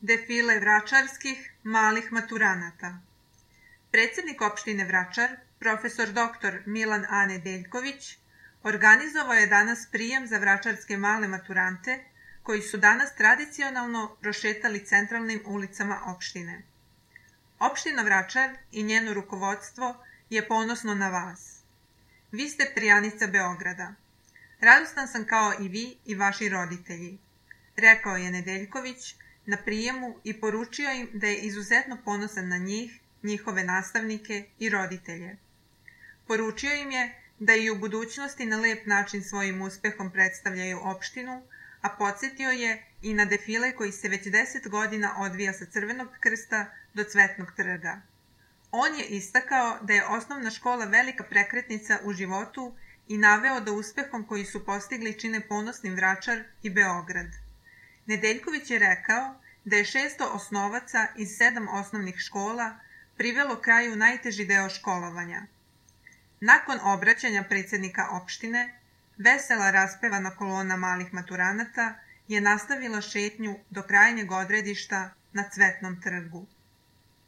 Defile vračarskih malih maturanata. Predsjednik opštine Vračar, profesor dr. Milan A. Nedeljković, organizovao je danas prijem za vračarske male maturante koji su danas tradicionalno prošetali centralnim ulicama opštine. Opština Vračar i njeno rukovodstvo je ponosno na vas. Vi ste prijanica Beograda. Radostan sam kao i vi i vaši roditelji, rekao je Nedeljković na prijemu i poručio im da je izuzetno ponosan na njih, njihove nastavnike i roditelje. Poručio im je da i u budućnosti na lep način svojim uspehom predstavljaju opštinu, a podsjetio je i na defile koji se već 10 godina odvija sa Crvenog krsta do Cvetnog trga. On je istakao da je osnovna škola velika prekretnica u životu i naveo da uspehom koji su postigli čine ponosnim Vračar i Beograd. Nedeljković je rekao da je 600 osnovaca iz 7 osnovnih škola privelo kraju najteži deo školovanja. Nakon obraćanja predsjednika opštine, vesela raspevana kolona malih maturanata je nastavila šetnju do krajnjeg odredišta na Cvetnom trgu.